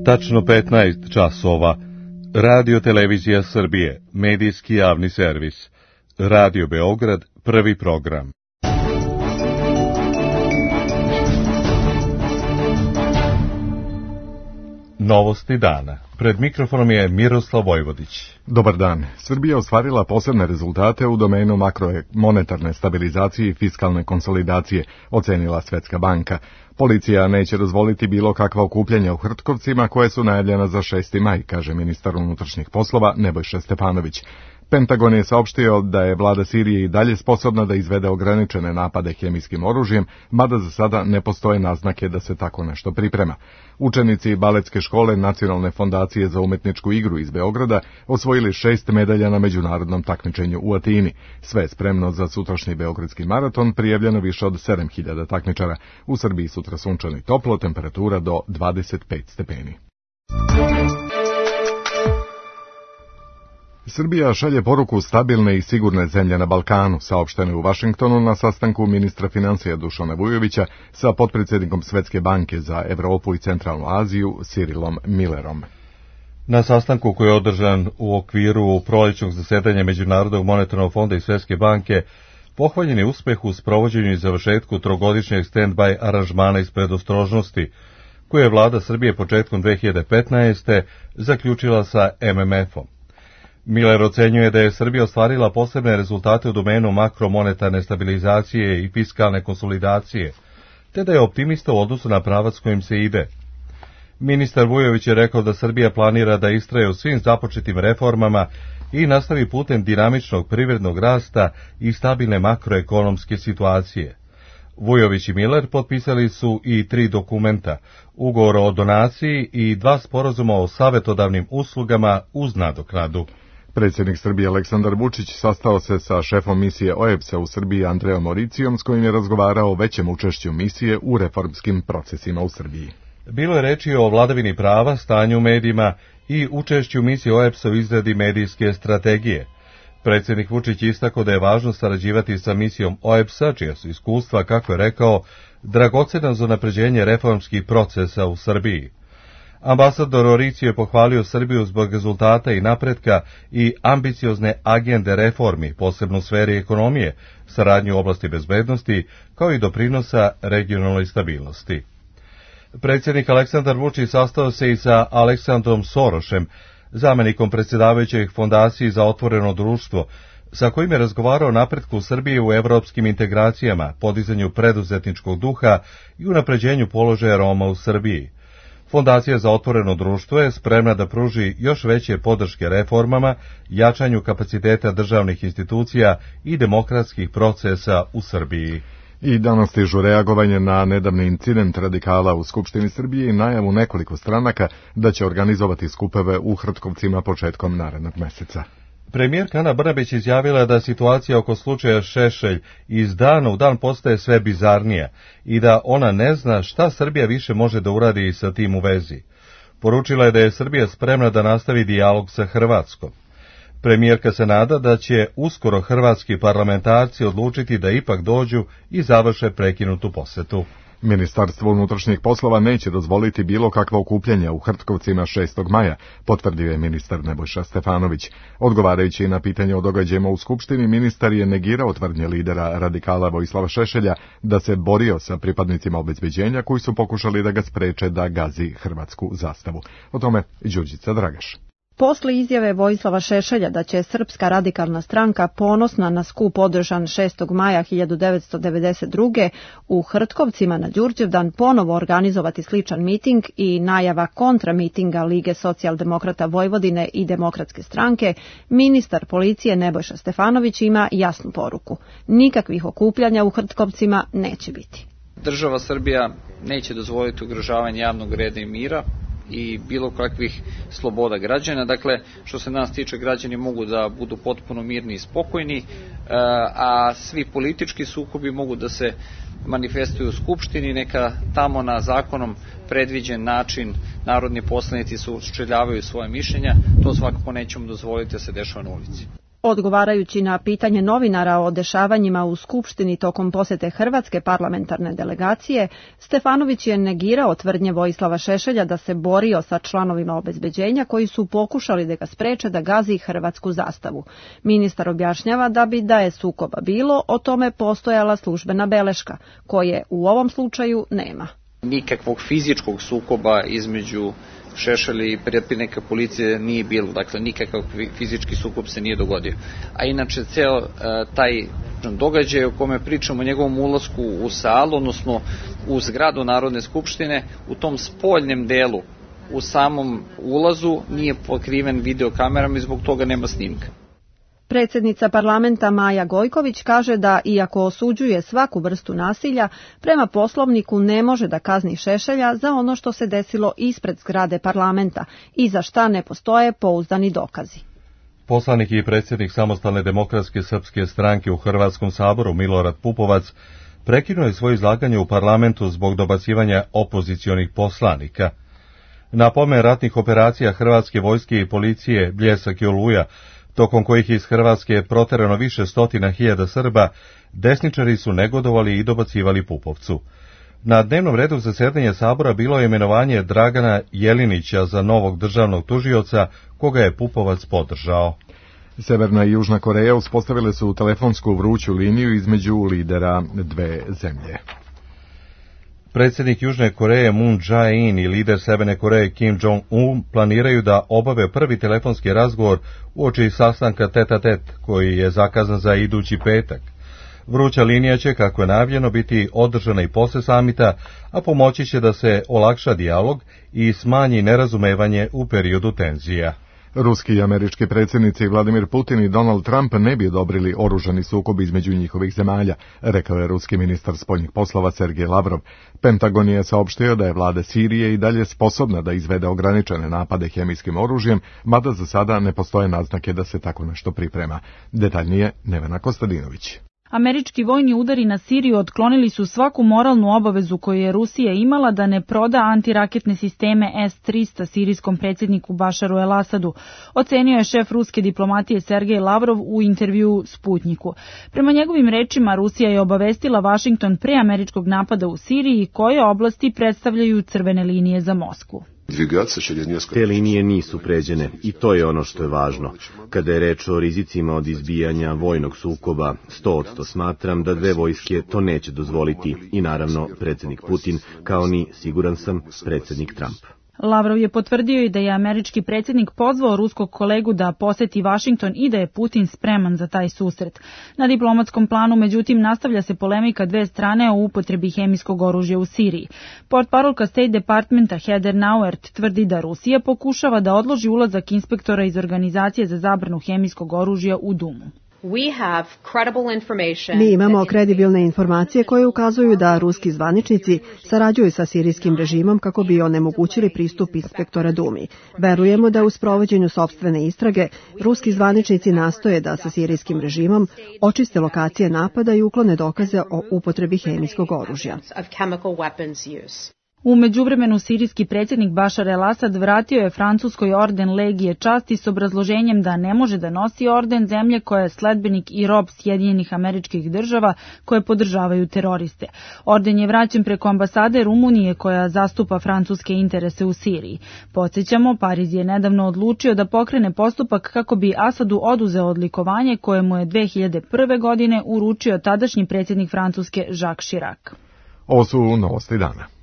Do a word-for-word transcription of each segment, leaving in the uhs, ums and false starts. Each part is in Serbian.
Tačno petnaest časova. Radio Televizija Srbije, medijski javni servis. Radio Beograd, prvi program. Novosti dana. Pred mikrofonom je Miroslav Vojvodić. Dobar dan. Srbija ostvarila posebne rezultate u domenu makromonetarne stabilizacije i fiskalne konsolidacije, ocenila Svetska banka. Policija neće dozvoliti bilo kakva okupljanja u Hrtkovcima koje su najavljena za šesti maj, kaže ministar unutrašnjih poslova Nebojša Stefanović. Pentagon je saopštio da je vlada Sirije i dalje sposobna da izvede ograničene napade hemijskim oružjem, mada za sada ne postoje naznake da se tako nešto priprema. Učenici baletske škole Nacionalne fondacije za umetničku igru iz Beograda osvojili šest medalja na međunarodnom takmičenju u Atini. Sve je spremno za sutrašnji beogradski maraton, prijavljeno više od sedam hiljada takmičara. U Srbiji sutra sunčano i toplo, temperatura do dvadeset pet stepeni. Srbija šalje poruku stabilne i sigurne zemlje na Balkanu, saopšteno je u Vašingtonu na sastanku ministra financija Dušana Vujovića sa potpredsjednikom Svetske banke za Evropu i Centralnu Aziju Cirilom Millerom. Na sastanku koji je održan u okviru prolećnog zasedanja Međunarodnog monetarnog fonda i Svetske banke, pohvaljen je uspeh u sprovođenju i završetku trogodišnjeg stand-by aranžmana iz predostrožnosti, koje je vlada Srbije početkom dve hiljade petnaeste. zaključila sa M M F-om. Miller ocenjuje da je Srbija ostvarila posebne rezultate u domenu makromonetarne stabilizacije i fiskalne konsolidacije, te da je optimista u odnosu na pravac kojim se ide. Ministar Vujović je rekao da Srbija planira da istraje u svim započetim reformama i nastavi putem dinamičnog privrednog rasta i stabilne makroekonomske situacije. Vujović i Miller potpisali su i tri dokumenta, ugovor o donaciji i dva sporazuma o savjetodavnim uslugama uz nadoknadu. Predsjednik Srbije Aleksandar Vučić sastao se sa šefom misije O E B S A u Srbiji Andrejom Mauricijom, s kojim je razgovarao o većem učešću misije u reformskim procesima u Srbiji. Bilo je reči o vladavini prava, stanju u medijima i učešću misije O E B S A u izradi medijske strategije. Predsjednik Vučić istakao da je važno sarađivati sa misijom O E B S A, čija su iskustva, kako je rekao, dragocena za unapređenje reformskih procesa u Srbiji. Ambasador Mauricio je pohvalio Srbiju zbog rezultata i napretka i ambiciozne agende reformi, posebno u sferi ekonomije, saradnju u oblasti bezbednosti, kao i doprinosa regionalnoj stabilnosti. Predsjednik Aleksandar Vučić sastao se i sa Aleksandrom Sorošem, zamenikom predsjedavajućeg Fondaciji za otvoreno društvo, sa kojim je razgovarao o napretku Srbije u evropskim integracijama, podizanju preduzetničkog duha i unapređenju položaja Roma u Srbiji. Fondacija za otvoreno društvo je spremna da pruži još veće podrške reformama, jačanju kapaciteta državnih institucija i demokratskih procesa u Srbiji. I danas stižu reagovanje na nedavni incident radikala u Skupštini Srbije i najavu nekoliko stranaka da će organizovati skupove u Hrtkovcima početkom narednog meseca. Premijerka Ana Brnabić izjavila da situacija oko slučaja Šešelj iz dana u dan postaje sve bizarnija i da ona ne zna šta Srbija više može da uradi sa tim u vezi. Poručila je da je Srbija spremna da nastavi dijalog sa Hrvatskom. Premijerka se nada da će uskoro hrvatski parlamentarci odlučiti da ipak dođu i završe prekinutu posetu. Ministarstvo unutrašnjih poslova neće dozvoliti bilo kakva okupljanja u Hrtkovcima šestog maja, potvrdio je ministar Nebojša Stefanović. Odgovarajući na pitanje o događajima u Skupštini, ministar je negirao tvrdnje lidera radikala Vojislava Šešelja da se borio sa pripadnicima obezbeđenja koji su pokušali da ga spreče da gazi hrvatsku zastavu. O tome Đurđica Dragaš. Posle izjave Vojislava Šešelja da će Srpska radikalna stranka ponosna na skup održan šestog maja hiljadu devetsto devedeset druge. u Hrtkovcima na Đurđevdan ponovo organizovati sličan miting i najava kontramitinga Lige socijaldemokrata Vojvodine i Demokratske stranke, ministar policije Nebojša Stefanović ima jasnu poruku. Nikakvih okupljanja u Hrtkovcima neće biti. Država Srbija neće dozvoliti ugrožavanje javnog reda i mira i bilo kakvih sloboda građana. Dakle, što se nas tiče, građani mogu da budu potpuno mirni i spokojni, a svi politički sukobi mogu da se manifestuju u Skupštini, neka tamo na zakonom predviđen način narodni poslanici sučeljavaju svoje mišljenja, to svakako nećemo dozvoliti da se dešava na ulici. Odgovarajući na pitanje novinara o dešavanjima u Skupštini tokom posete hrvatske parlamentarne delegacije, Stefanović je negirao tvrdnje Vojislava Šešelja da se borio sa članovima obezbeđenja koji su pokušali da ga spreče da gazi hrvatsku zastavu. Ministar objašnjava da bi da je sukoba bilo, o tome postojala službena beleška, koje u ovom slučaju nema. Nikakvog fizičkog sukoba između Šešelja i pripadnika policije nije bilo, dakle nikakav fizički sukob se nije dogodio. A inače ceo uh, taj događaj o kome pričamo, o njegovom ulasku u salu, odnosno u zgradu Narodne skupštine, u tom spoljnem delu, u samom ulazu nije pokriven videokamerama i zbog toga nema snimka. Predsjednica parlamenta Maja Gojković kaže da, iako osuđuje svaku vrstu nasilja, prema Poslovniku ne može da kazni Šešelja za ono što se desilo ispred zgrade parlamenta i za šta ne postoje pouzdani dokazi. Poslanik i predsjednik Samostalne demokratske srpske stranke u Hrvatskom saboru Milorad Pupovac prekinuo je svoje izlaganje u parlamentu zbog dobacivanja opozicionih poslanika. Na pomen ratnih operacija hrvatske vojske i policije Bljesak i Oluja, tokom kojih iz Hrvatske proterano više stotina hiljada Srba, desničari su negodovali i dobacivali Pupovcu. Na dnevnom redu zasedanja sabora bilo je imenovanje Dragana Jelinića za novog državnog tužioca, koga je Pupovac podržao. Severna i Južna Koreja uspostavile su telefonsku vruću liniju između lidera dve zemlje. Predsjednik Južne Koreje Moon Jae-in i lider Severne Koreje Kim Jong-un planiraju da obave prvi telefonski razgovor uoči sastanka tet-a-tet koji je zakazan za idući petak. Vruća linija će, kako je najavljeno, biti održana i posle samita, a pomoći će da se olakša dijalog i smanji nerazumevanje u periodu tenzija. Ruski i američki predsjednici Vladimir Putin i Donald Trump ne bi odobrili oružani sukob između njihovih zemalja, rekao je ruski ministar spoljnih poslova Sergej Lavrov. Pentagon je saopštio da je vlada Sirije i dalje sposobna da izvede ograničene napade hemijskim oružjem, mada za sada ne postoje naznake da se tako nešto priprema. Detaljnije Nevena Kostadinović. Američki vojni udari na Siriju otklonili su svaku moralnu obavezu koju je Rusija imala da ne proda antiraketne sisteme S trista sirijskom predsjedniku Bašaru el-Asadu, ocenio je šef ruske diplomatije Sergej Lavrov u intervjuu Sputniku. Prema njegovim rečima, Rusija je obavestila Vašington pre američkog napada u Siriji koje oblasti predstavljaju crvene linije za Moskvu. Te linije nisu pređene i to je ono što je važno. Kada je reč o rizicima od izbijanja vojnog sukoba, sto posto smatram da dve vojske to neće dozvoliti i naravno predsjednik Putin, kao ni, siguran sam, predsjednik Trump. Lavrov je potvrdio i da je američki predsjednik pozvao ruskog kolegu da poseti Vašington i da je Putin spreman za taj susret. Na diplomatskom planu, međutim, nastavlja se polemika dve strane o upotrebi hemijskog oružja u Siriji. Portparolka State Departmenta Heather Nauert tvrdi da Rusija pokušava da odloži ulazak inspektora iz Organizacije za zabranu hemijskog oružja u Dumu. Mi imamo kredibilne informacije koje ukazuju da ruski zvaničnici sarađuju sa sirijskim režimom kako bi onemogućili pristup inspektora Dumi. Verujemo da u sprovođenju sopstvene istrage ruski zvaničnici nastoje da sa sirijskim režimom očiste lokacije napada i uklone dokaze o upotrebi hemijskog oružja. U međuvremenu sirijski predsjednik Bašar el-Asad vratio je Francuskoj orden Legije časti s obrazloženjem da ne može da nosi orden zemlje koja je sledbenik i rob Sjedinjenih Američkih Država koje podržavaju teroriste. Orden je vraćen preko ambasade Rumunije koja zastupa francuske interese u Siriji. Podsjećamo, Pariz je nedavno odlučio da pokrene postupak kako bi Asadu oduzeo odlikovanje koje mu je dve hiljade prve. godine uručio tadašnji predsjednik Francuske Jacques Chirac. Ovo su novosti dana.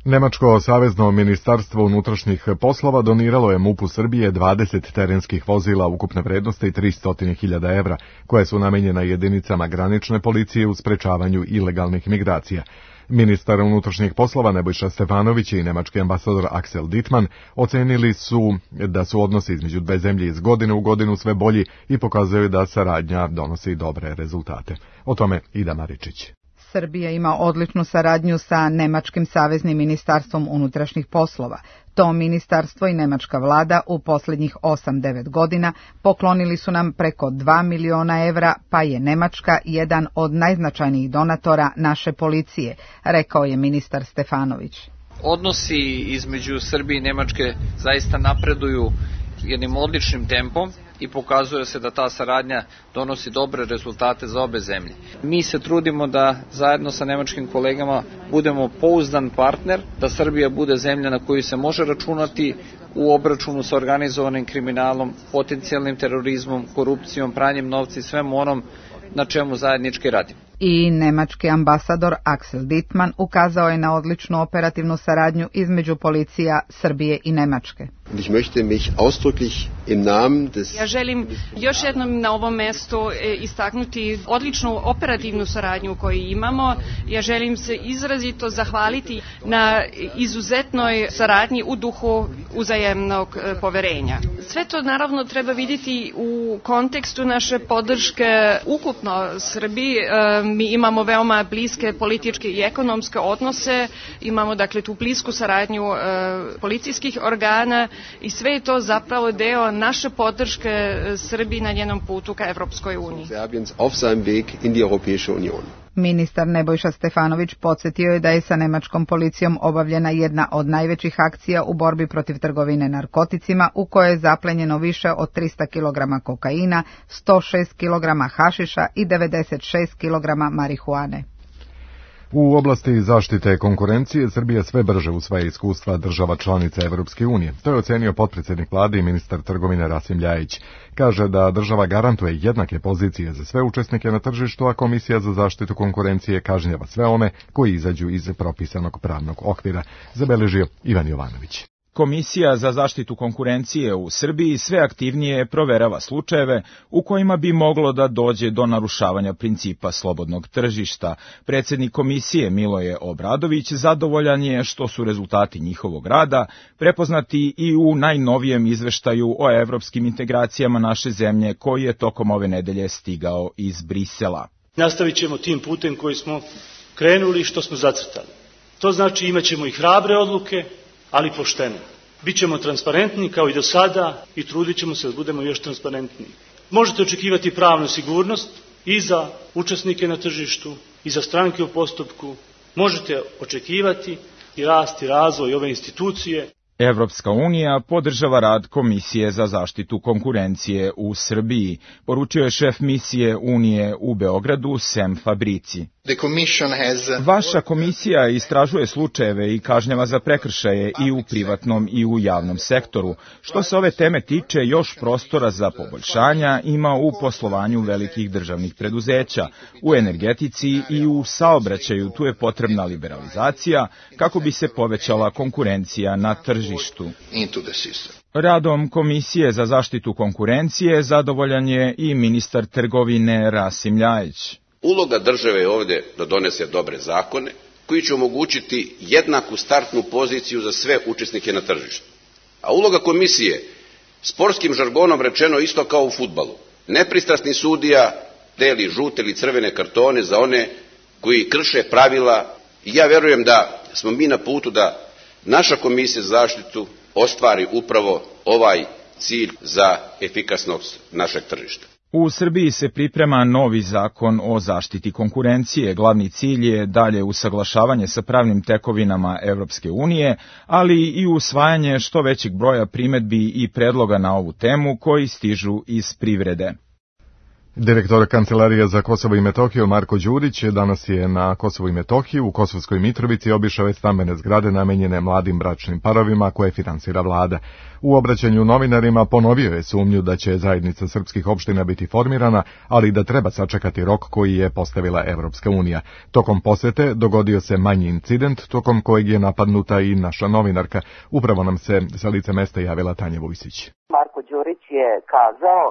Nemačko savezno ministarstvo unutrašnjih poslova doniralo je MUP-u Srbije dvadeset terenskih vozila ukupne vrednosti tristo hiljada evra, koje su namenjena jedinicama granične policije u sprečavanju ilegalnih migracija. Ministar unutrašnjih poslova Nebojša Stefanović i nemački ambasador Axel Dittmann ocenili su da su odnosi između dve zemlje iz godine u godinu sve bolji i pokazuju da saradnja donosi dobre rezultate. O tome Ida Maričić. Srbija ima odličnu saradnju sa Nemačkim saveznim ministarstvom unutrašnjih poslova. To ministarstvo i nemačka vlada u posljednjih osam devet godina poklonili su nam preko dva miliona evra, pa je Nemačka jedan od najznačajnijih donatora naše policije, rekao je ministar Stefanović. Odnosi između Srbije i Nemačke zaista napreduju jednim odličnim tempom i pokazuje se da ta saradnja donosi dobre rezultate za obe zemlje. Mi se trudimo da zajedno sa nemačkim kolegama budemo pouzdan partner, da Srbija bude zemlja na koju se može računati u obračunu sa organizovanim kriminalom, potencijalnim terorizmom, korupcijom, pranjem novca i svemu onom na čemu zajednički radimo. I nemački ambasador Axel Dittmann ukazao je na odličnu operativnu saradnju između policija Srbije i Nemačke. Ja želim još jednom na ovom mjestu istaknuti odličnu operativnu saradnju koju imamo. Ja želim se izrazito zahvaliti na izuzetnoj saradnji u duhu uzajamnog poverenja. Sve to naravno treba vidjeti u kontekstu naše podrške ukupno Srbiji. Mi imamo veoma bliske političke i ekonomske odnose, imamo dakle tu blisku saradnju e, policijskih organa i sve je to zapravo deo naše podrške Srbiji na njenom putu ka Evropskoj uniji. Ministar Nebojša Stefanović podsjetio je da je sa nemačkom policijom obavljena jedna od najvećih akcija u borbi protiv trgovine narkoticima u kojoj je zaplenjeno više od trista kilograma kokaina, sto šest kilograma hašiša i devedeset šest kilograma marihuane. U oblasti zaštite konkurencije Srbija sve brže usvaja iskustva država članica Evropske unije. To je ocenio potpredsjednik vlade i ministar trgovine Rasim Ljajić. Kaže da država garantuje jednake pozicije za sve učesnike na tržištu, a Komisija za zaštitu konkurencije kažnjava sve one koji izađu iz propisanog pravnog okvira, zabeležio Ivan Jovanović. Komisija za zaštitu konkurencije u Srbiji sve aktivnije proverava slučajeve u kojima bi moglo da dođe do narušavanja principa slobodnog tržišta. Predsjednik komisije Miloje Obradović zadovoljan je što su rezultati njihovog rada prepoznati i u najnovijem izveštaju o evropskim integracijama naše zemlje koji je tokom ove nedelje stigao iz Brisela. Nastavit ćemo tim putem koji smo krenuli što smo zacrtali. To znači imat ćemo i hrabre odluke, ali pošteno. Bićemo transparentni kao i do sada i trudit ćemo se da budemo još transparentniji. Možete očekivati pravnu sigurnost i za učesnike na tržištu i za stranke u postupku. Možete očekivati i rast i razvoj ove institucije. Evropska unija podržava rad Komisije za zaštitu konkurencije u Srbiji, poručio je šef misije Unije u Beogradu Sem Fabrici. Vaša komisija istražuje slučajeve i kažnjava za prekršaje i u privatnom i u javnom sektoru. Što se ove teme tiče, još prostora za poboljšanja ima u poslovanju velikih državnih preduzeća, u energetici i u saobraćaju. Tu je potrebna liberalizacija kako bi se povećala konkurencija na tržištu. Radom Komisije za zaštitu konkurencije zadovoljan je i ministar trgovine Rasim Ljajić. Uloga države je ovdje da donese dobre zakone koji će omogućiti jednaku startnu poziciju za sve učesnike na tržištu. A uloga komisije, sportskim žargonom rečeno isto kao u fudbalu, nepristrasni sudija deli žute ili crvene kartone za one koji krše pravila i ja verujem da smo mi na putu da naša komisija za zaštitu ostvari upravo ovaj cilj za efikasnost našeg tržišta. U Srbiji se priprema novi zakon o zaštiti konkurencije. Glavni cilj je dalje usaglašavanje sa pravnim tekovinama Evropske unije, ali i usvajanje što većeg broja primedbi i predloga na ovu temu koji stižu iz privrede. Direktor Kancelarije za Kosovo i Metohiju Marko Đurić danas je na Kosovu i Metohiji u Kosovskoj Mitrovici obišao stambene zgrade namenjene mladim bračnim parovima koje finansira vlada. U obraćanju novinarima ponovio je sumnju da će zajednica srpskih opština biti formirana, ali da treba sačekati rok koji je postavila Evropska unija. Tokom posete dogodio se manji incident, tokom kojeg je napadnuta i naša novinarka. Upravo nam se sa lice mesta javila Tanja Vujsić. Marko Đurić je kazao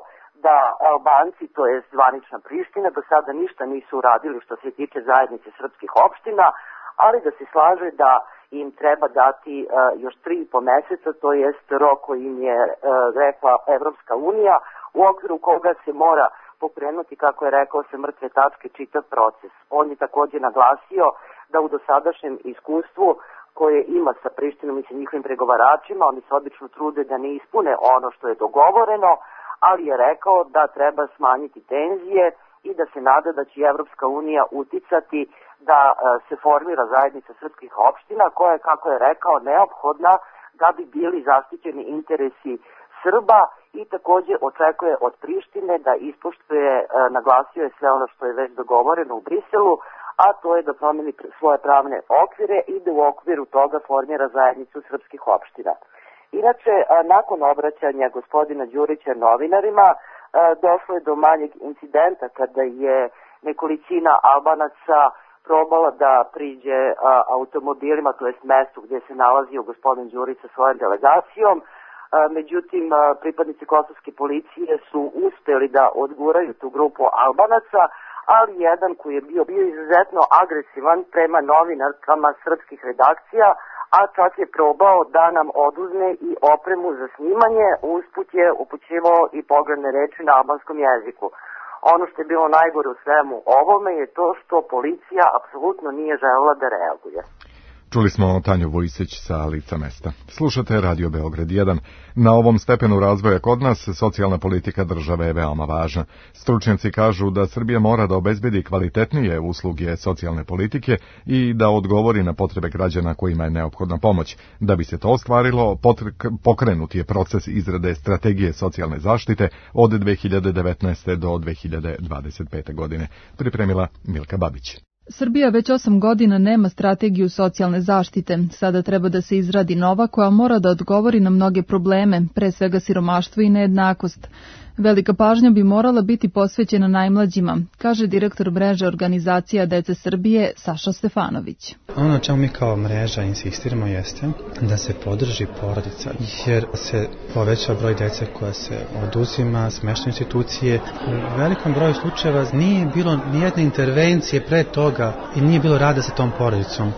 da Albanci, to je zvanična Priština, do sada ništa nisu uradili što se tiče zajednice srpskih opština, ali da se slaže da im treba dati uh, još tri i po meseca, to jest rok koji im je uh, rekla Evropska unija, u okviru koga se mora pokrenuti, kako je rekao, se mrtve tačke čitav proces. On je također naglasio da u dosadašnjem iskustvu koje ima sa Prištinom i sa njihovim pregovaračima, oni se odlično trude da ne ispune ono što je dogovoreno, ali je rekao da treba smanjiti tenzije i da se nada da će Evropska unija uticati da se formira zajednica srpskih opština koja je, kako je rekao, neophodna da bi bili zaštićeni interesi Srba i takođe očekuje od Prištine da ispoštuje, naglasio je sve ono što je već dogovoreno u Briselu, a to je da promeni svoje pravne okvire i da u okviru toga formira zajednicu srpskih opština. Inače, nakon obraćanja gospodina Đurića novinarima, došlo je do manjeg incidenta kada je nekolicina Albanaca probala da priđe automobilima, to jest mestu gdje se nalazio gospodin Đurić sa svojom delegacijom. Međutim, pripadnici kosovske policije su uspjeli da odguraju tu grupu Albanaca, ali jedan koji je bio, bio izuzetno agresivan prema novinarkama srpskih redakcija, a čak je probao da nam oduzme i opremu za snimanje, usput je upućivao i pogrdne reči na albanskom jeziku. Ono što je bilo najgore u svemu ovome je to što policija apsolutno nije želela da reaguje. Čuli smo Tanju Vujsić sa lica mesta. Slušate Radio Beograd jedan. Na ovom stepenu razvoja kod nas socijalna politika države je veoma važna. Stručnjaci kažu da Srbija mora da obezbedi kvalitetnije usluge socijalne politike i da odgovori na potrebe građana kojima je neophodna pomoć. Da bi se to ostvarilo, pokrenut je proces izrade strategije socijalne zaštite od dve hiljade devetnaeste. do dve hiljade dvadeset pete. godine. Pripremila Milka Babić. Srbija već osam godina nema strategiju socijalne zaštite. Sada treba da se izradi nova koja mora da odgovori na mnoge probleme, pre svega siromaštvo i nejednakost. Velika pažnja bi morala biti posvećena najmlađima, kaže direktor mreže organizacija Dece Srbije Saša Stefanović. Ono čemu mi kao mreža insistiramo jeste da se podrži porodica, jer se poveća broj dece koja se oduzima, smešta institucije. U velikom broju slučajeva nije bilo nijedne intervencije pre toga i nije bilo rada sa tom porodicom.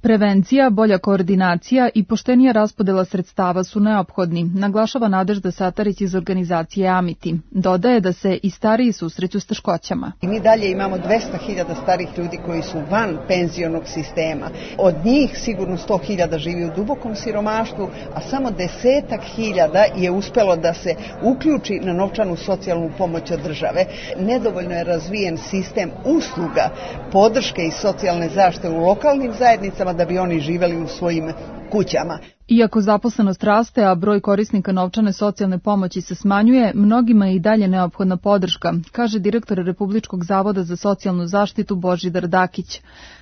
Prevencija, bolja koordinacija i poštenija raspodela sredstava su neophodni, naglašava Nadežda Satarić iz organizacije Amiti. Dodaje da se i stariji susreću s teškoćama. I mi dalje imamo dvesta hiljada starih ljudi koji su van penzionog sistema. Od njih sigurno sto hiljada živi u dubokom siromaštvu, a samo desetak hiljada je uspelo da se uključi na novčanu socijalnu pomoć od države. Nedovoljno je razvijen sistem usluga, podrške i socijalne zaštite u lokalnim zajednicama da bi oni živeli u svojim kućama. Iako zaposlenost raste, a broj korisnika novčane socijalne pomoći se smanjuje, mnogima je i dalje neophodna podrška, kaže direktor Republičkog zavoda za socijalnu zaštitu Božidar Dakić.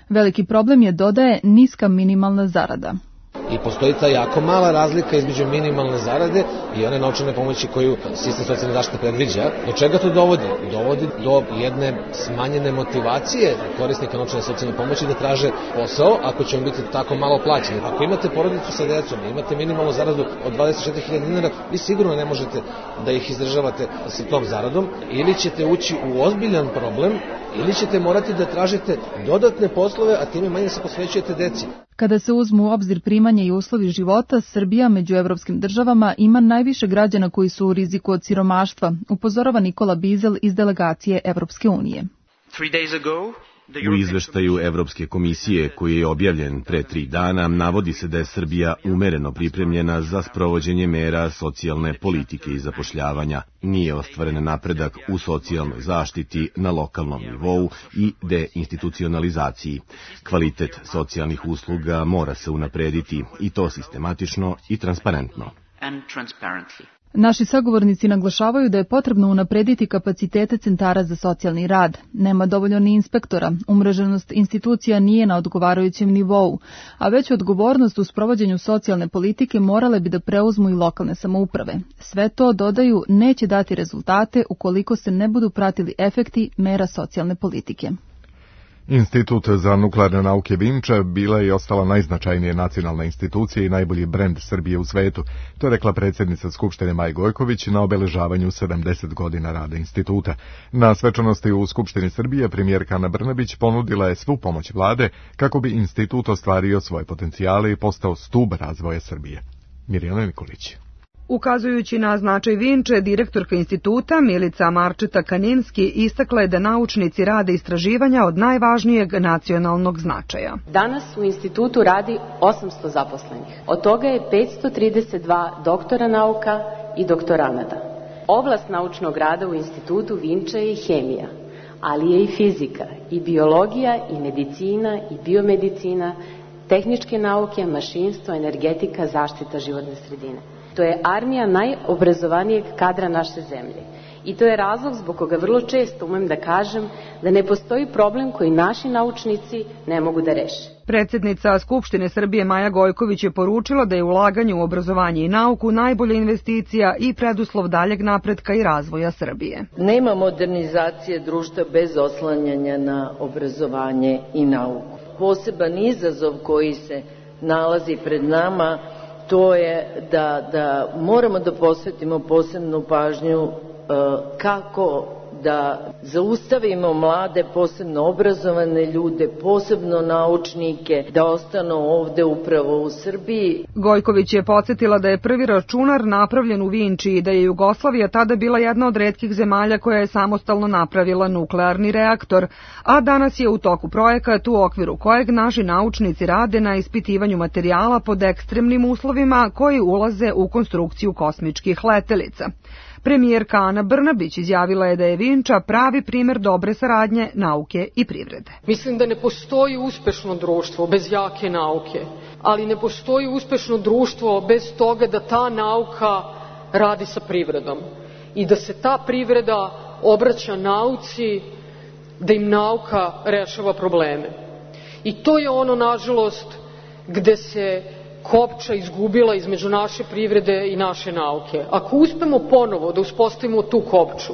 Veliki problem je, dodaje, niska minimalna zarada. I postoji ta jako mala razlika između minimalne zarade i one novčane pomoći koju sistem socijalne zaštite predviđa. Do čega to dovodi? Dovodi do jedne smanjene motivacije korisnika novčane socijalne pomoći da traže posao ako će on biti tako malo plaćeni. Ako imate porodicu sa decom i imate minimalnu zaradu od dvadeset četiri hiljade dinara, vi sigurno ne možete da ih izdržavate sa tom zaradom, ili ćete ući u ozbiljan problem, ili ćete morati da tražite dodatne poslove, a time manje se posvećujete deci. Kada se uzmu u obzir primanja i uslovi života, Srbija među evropskim državama ima najviše građana koji su u riziku od siromaštva, upozorava Nikola Bizel iz delegacije Evropske unije. U izveštaju Evropske komisije, koji je objavljen pre tri dana, navodi se da je Srbija umereno pripremljena za sprovođenje mera socijalne politike i zapošljavanja. Nije ostvaren napredak u socijalnoj zaštiti na lokalnom nivou i deinstitucionalizaciji. Kvalitet socijalnih usluga mora se unaprediti, i to sistematično i transparentno. Naši sagovornici naglašavaju da je potrebno unaprediti kapacitete centara za socijalni rad. Nema dovoljno ni inspektora, umreženost institucija nije na odgovarajućem nivou, a veću odgovornost u sprovođenju socijalne politike morale bi da preuzmu i lokalne samouprave. Sve to, dodaju, neće dati rezultate ukoliko se ne budu pratili efekti mera socijalne politike. Institut za nuklearne nauke Vinča bila je i ostala najznačajnije nacionalna institucija i najbolji brend Srbije u svetu. To je rekla predsjednica Skupštine Maja Gojković na obeležavanju sedamdeset godina rada instituta. Na svečanosti u Skupštini Srbije premijerka Ana Brnabić ponudila je svu pomoć vlade kako bi institut ostvario svoje potencijale i postao stub razvoja Srbije. Mirjana Nikolić. Ukazujući na značaj Vinče, direktorka instituta Milica Marčeta-Kaninski istakla je da naučnici rade istraživanja od najvažnijeg nacionalnog značaja. Danas u institutu radi osamsto zaposlenih. Od toga je petsto trideset dva doktora nauka i doktoranata. Oblast naučnog rada u institutu Vinče je hemija, ali je i fizika, i biologija, i medicina, i biomedicina, tehničke nauke, mašinstvo, energetika, zaštita životne sredine. To je armija najobrazovanijeg kadra naše zemlje. I to je razlog zbog koga vrlo često umem da kažem da ne postoji problem koji naši naučnici ne mogu da reše. Predsjednica Skupštine Srbije Maja Gojković je poručila da je ulaganje u obrazovanje i nauku najbolja investicija i preduslov daljeg napretka i razvoja Srbije. Nema modernizacije društva bez oslanjanja na obrazovanje i nauku. Poseban izazov koji se nalazi pred nama, to je da, da moramo da posvetimo posebnu pažnju kako da zaustavimo mlade, posebno obrazovane ljude, posebno naučnike, da ostanu ovde upravo u Srbiji. Gojković je podsjetila da je prvi računar napravljen u Vinči i da je Jugoslavija tada bila jedna od retkih zemalja koja je samostalno napravila nuklearni reaktor, a danas je u toku projekat u okviru kojeg naši naučnici rade na ispitivanju materijala pod ekstremnim uslovima koji ulaze u konstrukciju kosmičkih letelica. Premijerka Ana Brnabić izjavila je da je Vinča pravi primer dobre saradnje nauke i privrede. Mislim da ne postoji uspešno društvo bez jake nauke, ali ne postoji uspešno društvo bez toga da ta nauka radi sa privredom i da se ta privreda obraća nauci, da im nauka rešava probleme. I to je ono, nažalost, gde se kopča izgubila između naše privrede i naše nauke. Ako uspemo ponovo da uspostavimo tu kopču,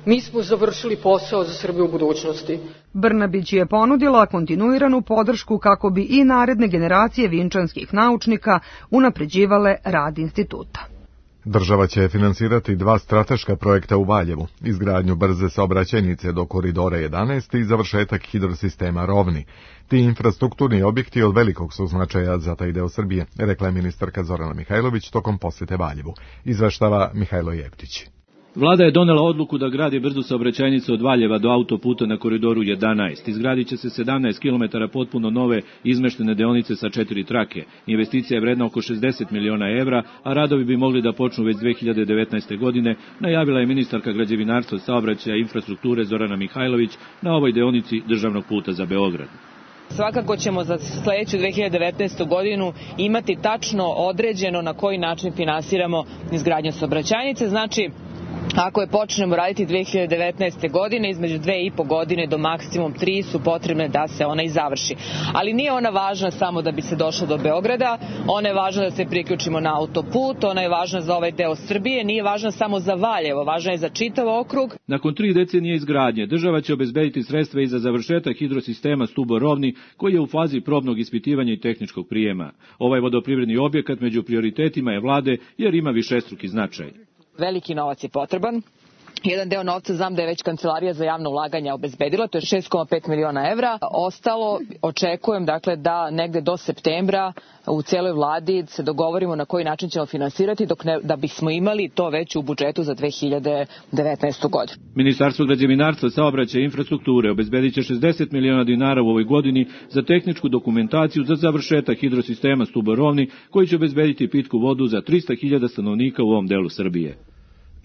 mi smo završili posao za Srbiju u budućnosti. Brnabić je ponudila kontinuiranu podršku kako bi i naredne generacije vinčanskih naučnika unapređivale rad instituta. Država će finansirati dva strateška projekta u Valjevu, izgradnju brze saobraćajnice do koridora jedanaest i završetak hidrosistema Rovni. Ti infrastrukturni objekti od velikog su značaja za taj deo Srbije, rekla je ministarka Zorana Mihajlović tokom posete Valjevu. Izveštava Mihajlo Jevtić. Vlada je donela odluku da gradi brzu saobraćajnicu od Valjeva do autoputa na koridoru jedanaest. Izgradit će se sedamnaest kilometara potpuno nove izmeštene deonice sa četiri trake. Investicija je vredna oko šezdeset miliona evra, a radovi bi mogli da počnu već dve hiljade devetnaeste. godine, najavila je ministarka građevinarstva, saobraćaja i infrastrukture Zorana Mihajlović na ovoj deonici državnog puta za Beograd. Svakako ćemo za sledeću dve hiljade devetnaestu. godinu imati tačno određeno na koji način finansiramo izgradnju saobraćajnice. Znači, ako je počnemo raditi dve hiljade devetnaeste. godine, između dve i po godine do maksimum tri su potrebne da se ona i završi. Ali nije ona važna samo da bi se došlo do Beograda, ona je važna da se priključimo na autoput, ona je važna za ovaj deo Srbije, nije važna samo za Valjevo, važna je za čitav okrug. Nakon tri decenije izgradnje, država će obezbediti sredstva i za završetak hidrosistema Stubo-Rovni, koji je u fazi probnog ispitivanja i tehničkog prijema. Ovaj vodoprivredni objekat među prioritetima je vlade jer ima višestruki značaj. Veliki novac je potreban. Jedan deo novca znam da je već Kancelarija za javno ulaganja obezbedila, to je šest zarez pet miliona evra. Ostalo očekujem dakle da negde do septembra u celoj vladi se dogovorimo na koji način ćemo finansirati, dok ne, da bismo imali to već u budžetu za dve hiljade devetnaestu. godinu. Ministarstvo građevinarstva, saobraćaja i infrastrukture obezbedit će šezdeset miliona dinara u ovoj godini za tehničku dokumentaciju za završetak hidrosistema Stubo-Rovni, koji će obezbediti pitku vodu za trista hiljada stanovnika u ovom delu Srbije.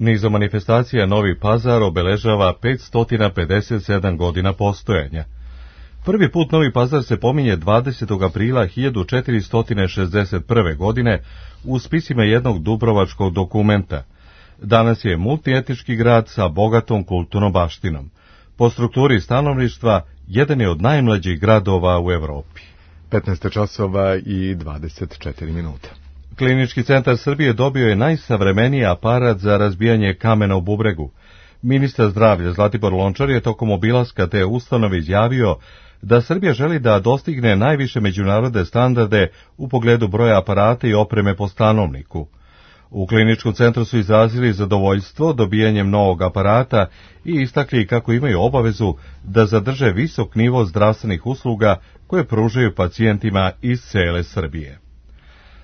Nizom manifestacija Novi Pazar obeležava petsto pedeset sedam godina postojanja. Prvi put Novi Pazar se pominje dvadesetog aprila hiljadu četiristo šezdeset prve. godine u spisima jednog dubrovačkog dokumenta. Danas je multietnički grad sa bogatom kulturnom baštinom. Po strukturi stanovništva, jedan je od najmlađih gradova u Evropi. petnaest časova i dvadeset četiri minuta. Klinički centar Srbije dobio je najsavremeniji aparat za razbijanje kamena u bubregu. Ministar zdravlja Zlatibor Lončar je tokom obilaska te ustanove izjavio da Srbija želi da dostigne najviše međunarodne standarde u pogledu broja aparata i opreme po stanovniku. U kliničkom centru su izrazili zadovoljstvo dobijanjem novog aparata i istakli kako imaju obavezu da zadrže visok nivo zdravstvenih usluga koje pružaju pacijentima iz cele Srbije.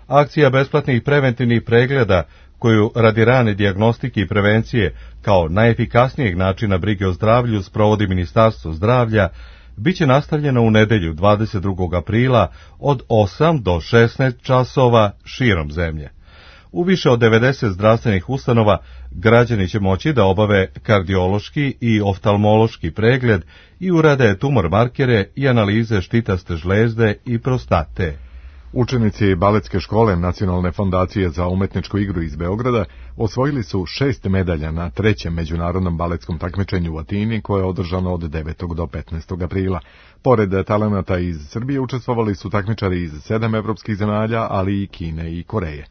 Akcija besplatnih preventivnih pregleda, koju radi rane dijagnostike i prevencije kao najefikasnijeg načina brige o zdravlju sprovodi Ministarstvo zdravlja, biće nastavljena u nedelju dvadeset drugog aprila od osam do šesnaest časova širom zemlje. U više od devedeset zdravstvenih ustanova građani će moći da obave kardiološki i oftalmološki pregled i urade tumor markere i analize štitaste žlezde i prostate. Učenici baletske škole Nacionalne fondacije za umetničku igru iz Beograda osvojili su šest medalja na trećem međunarodnom baletskom takmičenju u Atini, koje je održano od devetog do petnaestog aprila. Pored talenata iz Srbije učestvovali su takmičari iz sedam evropskih zemalja, ali i Kine i Koreje.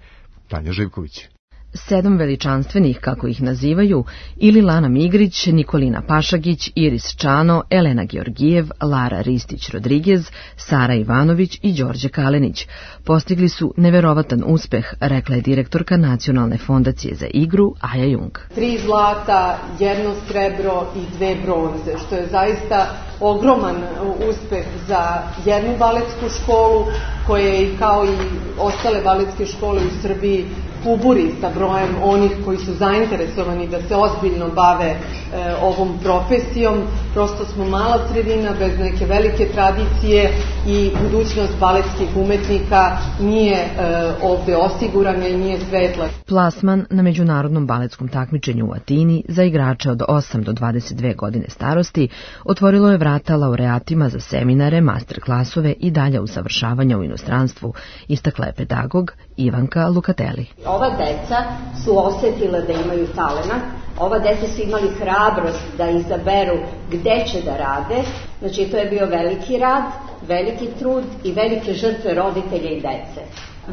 Tanja Živković. Sedam veličanstvenih, kako ih nazivaju, ili Lana Migrić, Nikolina Pašagić, Iris Čano, Elena Georgijev, Lara Ristić-Rodriguez, Sara Ivanović i Đorđe Kalenić. Postigli su neverovatan uspeh, rekla je direktorka Nacionalne fondacije za igru Aja Jung. Tri zlata, jedno srebro i dve bronze, što je zaista ogroman uspeh za jednu baletsku školu, koja je kao i ostale baletske škole u Srbiji kuburi sa brojem onih koji su zainteresovani da se ozbiljno bave e, ovom profesijom. Prosto smo mala sredina bez neke velike tradicije i budućnost baletskih umetnika nije e, ovde osigurana i nije svetla. Plasman na međunarodnom baletskom takmičenju u Atini za igrače od osam do dvadeset dve godine starosti otvorilo je vrata laureatima za seminare, master klasove i dalje usavršavanja u inostranstvu, istakla je pedagog Ivanka Lukateli. Ova deca su osetila da imaju talena, ova deca su imali hrabrost da izaberu gde će da rade, znači to je bio veliki rad, veliki trud i velike žrtve roditelja i dece.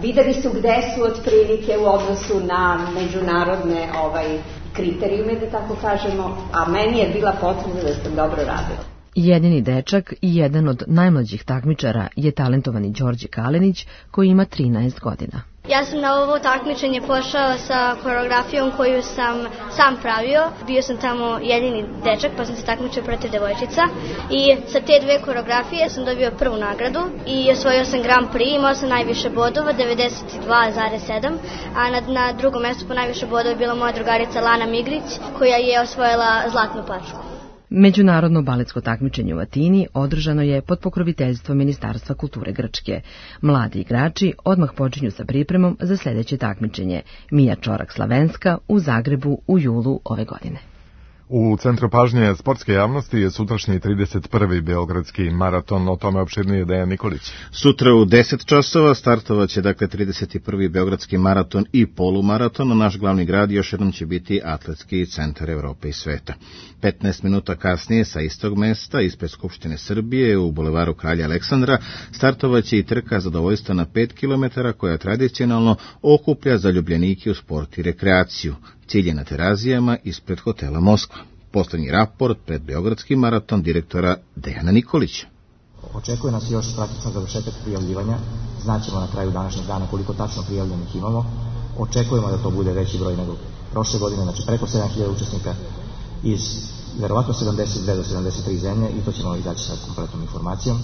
Videli su gde su otprilike u odnosu na međunarodne ovaj, kriterijume, da tako kažemo, a meni je bila potrebna da sam dobro radila. Jedini dečak i jedan od najmlađih takmičara je talentovani Đorđe Kalenić, koji ima trinaest godina. Ja sam na ovo takmičenje pošao sa koreografijom koju sam sam pravio. Bio sam tamo jedini dečak, pa sam se takmičio protiv devojčica. I sa te dve koreografije sam dobio prvu nagradu i osvojio sam Grand Prix, imao sam najviše bodova, devedeset dva zarez sedam, a na, na drugom mjestu po najviše bodova je bila moja drugarica Lana Migrić, koja je osvojila zlatnu plačku. Međunarodno baletsko takmičenje u Atini održano je pod pokroviteljstvom Ministarstva kulture Grčke. Mladi igrači odmah počinju sa pripremom za sljedeće takmičenje, Mija Čorak-Slavenska, u Zagrebu u julu ove godine. U centru pažnje sportske javnosti je sutrašnji trideset prvi beogradski maraton, o tome opširnije Dejan Nikolić. Sutra u deset časova startovaće dakle trideset prvi beogradski maraton i polumaraton, a naš glavni grad još jednom će biti atletski centar Evrope i sveta. petnaest minuta kasnije sa istog mesta, ispred Skupštine Srbije, u bulevaru Kralja Aleksandra, startovaće i trka zadovoljstva na pet kilometara koja tradicionalno okuplja zaljubljenike u sport i rekreaciju. Cilj je na Terazijama ispred hotela Moskva. Poslednji raport pred beogradski maraton direktora Dejana Nikolića. Očekuje nas još praktično završetak prijavljivanja. Znaćemo na kraju današnjeg dana koliko tačno prijavljenih imamo. Očekujemo da to bude veći broj nego prošle godine, znači preko sedam hiljada učesnika iz verovatno sedamdeset dve do sedamdeset tri zemlje i to ćemo izaći sa kompletnom informacijom.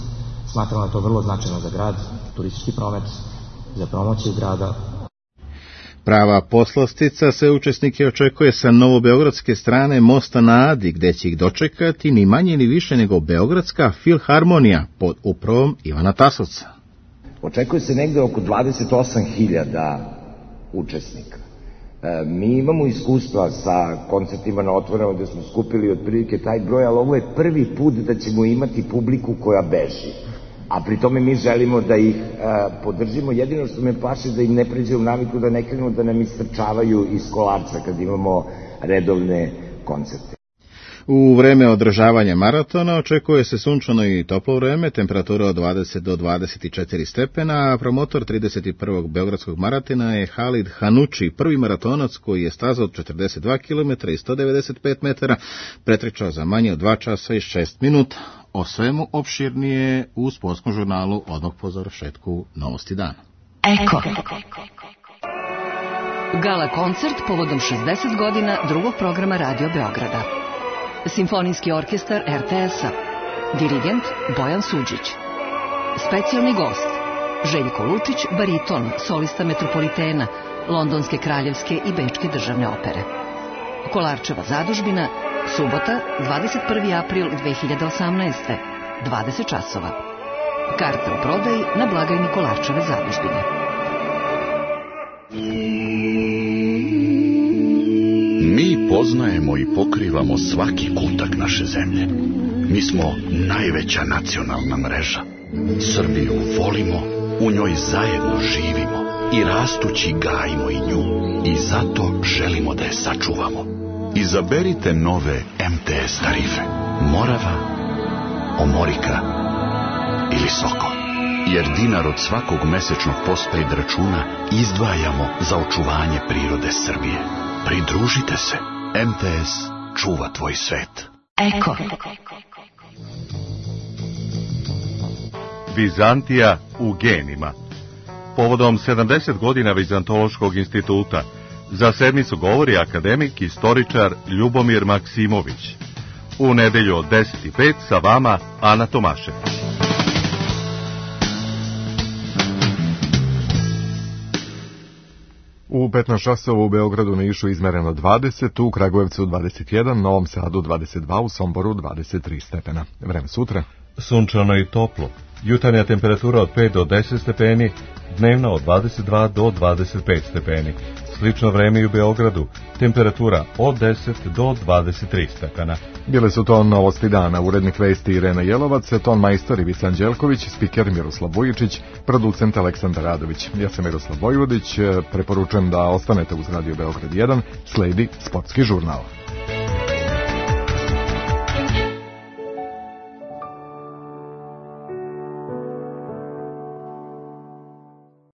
Smatramo da je to vrlo značajno za grad, turistički promet, za promociju grada. Prava poslastica se učesnike očekuje sa novobeogradske strane mosta na Adi, gde će ih dočekati ni manje ni više nego Beogradska filharmonija pod upravom Ivana Tasovca. Očekuje se negde oko dvadeset osam hiljada učesnika. E, mi imamo iskustva sa koncertima na otvorenom gde smo skupili otprilike taj broj, ali ovo je prvi put da ćemo imati publiku koja beži. A pri tome mi želimo da ih a, podržimo. Jedino što me plaši da im ne pređe u naviku da ne krenu da nam istrčavaju iz kolarca kad imamo redovne koncerte. U vreme održavanja maratona očekuje se sunčano i toplo vreme, temperatura od dvadeset do dvadeset četiri stepena, a promotor trideset prvog beogradskog maratona je Halid Hanuči, prvi maratonac koji je staza od četrdeset dva kilometra i sto devedeset pet metara pretrčao za manje od dva časa i šest minuta. O svemu opširnije u sportskom žurnalu odmah po završetku Novosti dana. Eko. Gala koncert povodom šezdeset godina drugog programa Radio Beograda. Simfonijski orkestar er te es-a. Dirigent Bojan Suđić. Specijalni gost Željko Lučić, bariton, solista Metropolitena, Londonske kraljevske i Bečke državne opere. Kolarčeva zadužbina, subota, dvadeset prvi april dve hiljade osamnaeste. dvadeset časova. Karte u prodaji na blagajni Kolarčeve zadužbine. poznajemo i pokrivamo svaki kutak naše zemlje. Mi smo najveća nacionalna mreža. Srbiju volimo, u njoj zajedno živimo i rastući gajimo i nju. I zato želimo da je sačuvamo. Izaberite nove M T S tarife. Morava, Omorika ili Sokol. Jer dinar od svakog mesečnog postpaid računa izdvajamo za očuvanje prirode Srbije. Pridružite se. M T S čuva tvoj svet. Eko. Vizantija u genima. Povodom sedamdeset godina Vizantološkog instituta za sedmicu govori akademik, istoričar Ljubomir Maksimović. U nedelju od deset i pet sa vama Ana Tomašević. U petnaest časova u Beogradu, Nišu izmereno dvadeset, u Kragujevcu dvadeset jedan, Novom Sadu dvadeset dva, u Somboru dvadeset tri stepena. Vreme sutra. Sunčano i toplo. Jutarnja temperatura od pet do deset stepeni, dnevna od dvadeset dva do dvadeset pet stepeni. Slično vreme i u Beogradu, temperatura od deset do dvadeset tri stepena. Bile su to novosti dana, urednik vesti Irena Jelovac, ton majstor Ivica Anđelković, spiker Miroslav Vujičić, producent Aleksandar Radović. Ja sam Miroslav Vojvodić, preporučujem da ostanete uz Radio Beograd jedan, sledi sportski žurnal.